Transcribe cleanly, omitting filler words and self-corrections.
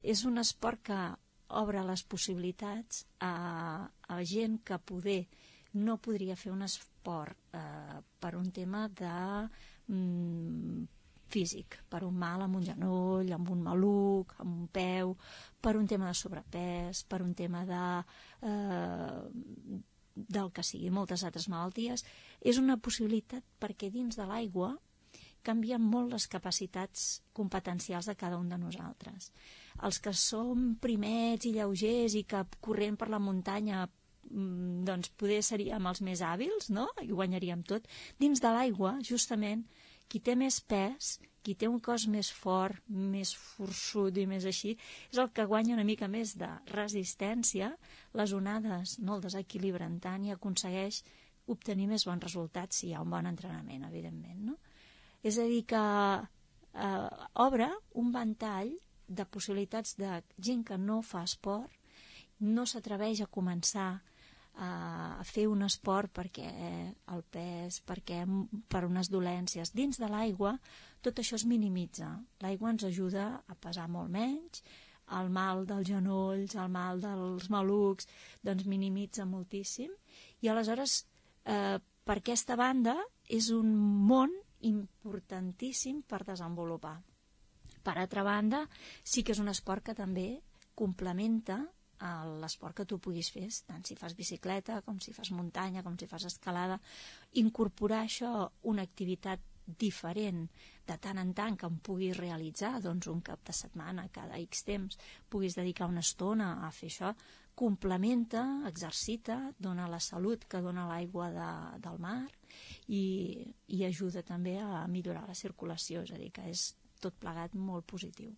és un esport que obre les possibilitats a gent que poder no podria fer un esport per un tema de físic, per un mal amb un genoll, amb un maluc, amb un peu, per un tema de sobrepès, per un tema del que sigui, moltes altres malalties. És una possibilitat perquè dins de l'aigua canvien molt les capacitats competencials de cada un de nosaltres. Els que som primets i lleugers i que corrent per la muntanya doncs poder seríem els més hàbils, no? I guanyaríem tot. Dins de l'aigua, justament, qui té més pes, qui té un cos més fort, més forçut i més així, és el que guanya una mica més de resistència, les onades no el desequilibren tant i aconsegueix obtenir més bons resultats si hi ha un bon entrenament, evidentment, no? És a dir, que obre un ventall de possibilitats de gent que no fa esport, no s'atreveix a començar a fer un esport perquè el pes, perquè per unes dolències. Dins de l'aigua tot això es minimitza. L'aigua ens ajuda a pesar molt menys, el mal dels genolls, el mal dels malucs, doncs minimitza moltíssim. I aleshores, per aquesta banda, és un món importantíssim per desenvolupar. Per altra banda, sí que és un esport que també complementa l'esport que tu puguis fer, tant si fas bicicleta, com si fas muntanya, com si fas escalada. Incorporar això, una activitat diferent de tant en tant que em puguis realitzar, doncs un cap de setmana, cada X temps, puguis dedicar una estona a fer això, complementa, exercita, dona la salut que dona l'aigua del mar i ajuda també a millorar la circulació, és a dir, que és tot plegat molt positiu.